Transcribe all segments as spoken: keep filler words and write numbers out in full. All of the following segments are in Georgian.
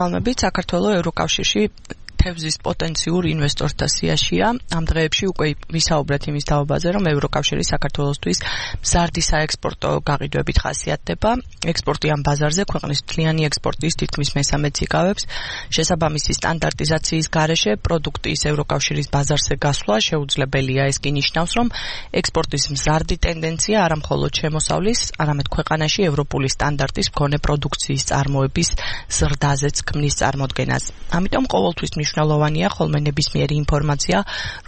ალბათ საქართველოს ევროკავშირში თევზის პოტენციურ ინვესტორთა სიაშია. Ამ დღეებში უკვე ვისაუბრეთ იმის თაობაზე, რომ ევროკავშირი საქართველოსთვის მზარდი საექსპორტო გაყიდვებით ხასიათდება. ექსპორტი ამ ბაზარზე ქვეყნის მთლიანი ექსპორტის თითქმის მესამედს იკავებს. შესაბამისი სტანდარტიზაციის გარეშე პროდუქტის ევროკავშირის ბაზარზე გასვლა შეუძლებელია. ეს კი ნიშნავს, რომ ექსპორტის მზარდი ტენდენცია არა მხოლოდ შემოსავლის, არამედ ქვეყანაში ევროპული სტანდარტის მქონე პროდუქციის წარმოების ზრდაზეც ქმნის წარმოდგენას. ამიტომ ყოველთვის მნიშვნელოვანია ხოლმე ნებისმიერი ინფორმაცია,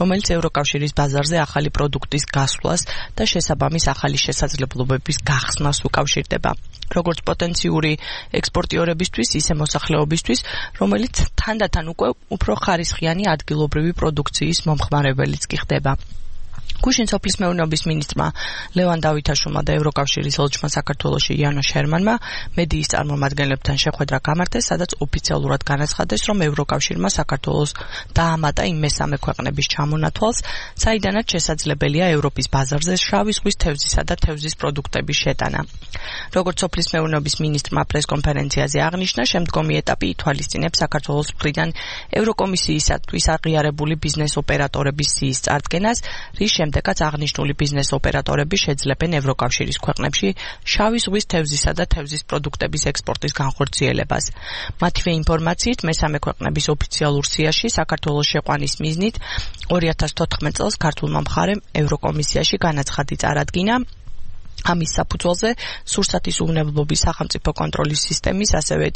რომელიც ევროკავშირის ბაზარზე ახალი პროდუქტის გასვლას და შესაბამის ახალი შესაძლებლობების გახსნას უკავშირდება. როგორც პოტენციური ექსპორტიორებისთვის, ისე მოსახლეობისთვის, რომელიც თანდათან უკვე უფრო ხარისხიანი ადგილობრივი პროდუქციის მომხმარებელიც კი ხდება. გუშინ სოფლის მეურნეობის მინისტრმა ლევან დავითაშვილმა და ევროკავშირის ელჩმა საქართველოში იანო შერმანმა მედიის წარმომადგენლებთან შეხვედრა გამართეს, სადაც ოფიციალურად განაცხადეს, რომ ევროკავშირმა საქართველოს დაამატა იმ მესამე ქვეყნების ჩამონათვალს, საიდანაც შესაძლებელია ევროპის ბაზარზე შავი ზღვის თევზისა და თევზის პროდუქტების შეტანა. როგორც სოფლის მეურნეობის მინისტრმა პრესკონფერენციაზე აღნიშნა, შემდგომი ეტაპი ითვალისწინებს საქართველოს მხრიდან ევროკომისიისათვის აღიარებული ბიზნეს ოპერატორების სიის წარდგენას, რის შემდეგაც აღნიშნული ბიზნეს ოპერატორები შეძლებენ ევროკავშირის ქვეყნებში შავი ზღვის თევზისა და თევზის პროდუქტების ექსპორტის განხორციელებას. მათივე ინფორმაციით, მესამე ქვეყნების ოფიციალურ სიაში საქართველოს შეყვანის მიზნით ორი ათას თოთხმეტ წელს ქართულმა მხარემ ევროკომისიაში განაცხადი წარადგინა. ამის საფუძველზე სურსათის უვნებლობის სახელმწიფო კონტროლის სისტემის, ასევე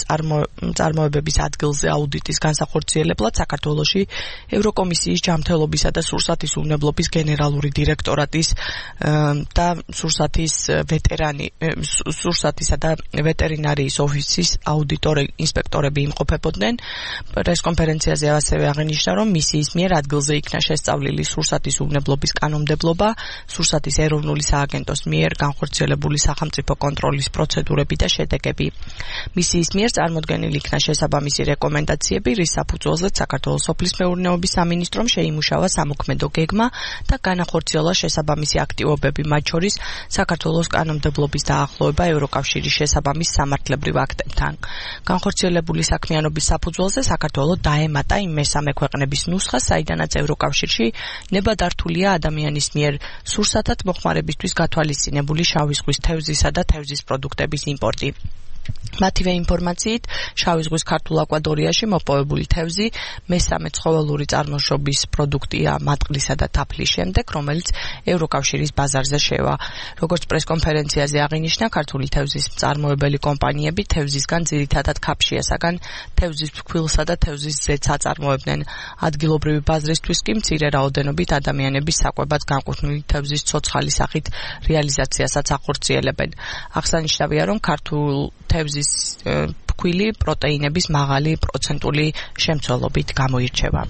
წარმოებების ადგილზე აუდიტის განსახორციელებლად საქართველოში ევროკომისიის ჯანმრთელობისა და სურსათის უვნებლობის გენერალური დირექტორატის და სურსათის ვეტერანი სურსათისა და ვეტერინარიის ოფისის აუდიტორი ინსპექტორები იმყოფებოდნენ. პრესკონფერენციაზე ასევე აღინიშნა, რომ მისიის მიერ ადგილზე იქნა შესწავლილი სურსათის უვნებლობის კანონმდებლობა, სურსათის ეროვნული სააგენტოს მიერ განხორციელებული სახელმწიფო კონტროლის პროცედურები და შედეგები. მისიის მიერ წარმოდგენილი იქნა შესაბამისი რეკომენდაციები, რის საფუძველზეც საქართველოს სოფლის მეურნეობის სამინისტრომ შეიმუშავა სამოქმედო გეგმა და განახორციელა შესაბამისი აქტივობები, მათ შორის საქართველოს კანონმდებლობის დაახლოება ევროკავშირის შესაბამის სამართლებრივ აქტებთან. განხორციელებული საქმიანობის საფუძველზე საქართველოს დაემატა იმ მესამე ქვეყნების ნუსხას, საიდანაც ევროკავშირში ნებადართულია ადამიანის მიერ სურსათად მოხმარებისთვის გათვალისწინებული შავი ზღვის თევზისა და თევზის პროდუქტების იმპორტი. მათივე ინფორმაციით, შავი ზღვის ქართულ აკვატორიაში მოპოვებული თევზი მესამე ცხოველური წარმოშობის პროდუქტია მატყლისა და თაფლის შემდეგ, რომელიც ევროკავშირის ბაზარზე შევა. როგორც პრესკონფერენციაზე აღინიშნა, ქართული თევზის მწარმოებელი კომპანიები თევზისგან ძირითადად ქაფშიასაგან თევზის ფქვილსა და თევზის ზეთს აწარმოებდნენ. ადგილობრივი ბაზრისთვის კი მცირე რაოდენობით ადამიანების საკვებად განკუთვნილი თევზის ცოცხალი სახით რეალიზაციასაც ახორციელებენ. აღსანიშნავია, რომ ქართულ თევზის ფქვილი პროტეინების მაღალი პროცენტული შემცველობით გამოირჩევა.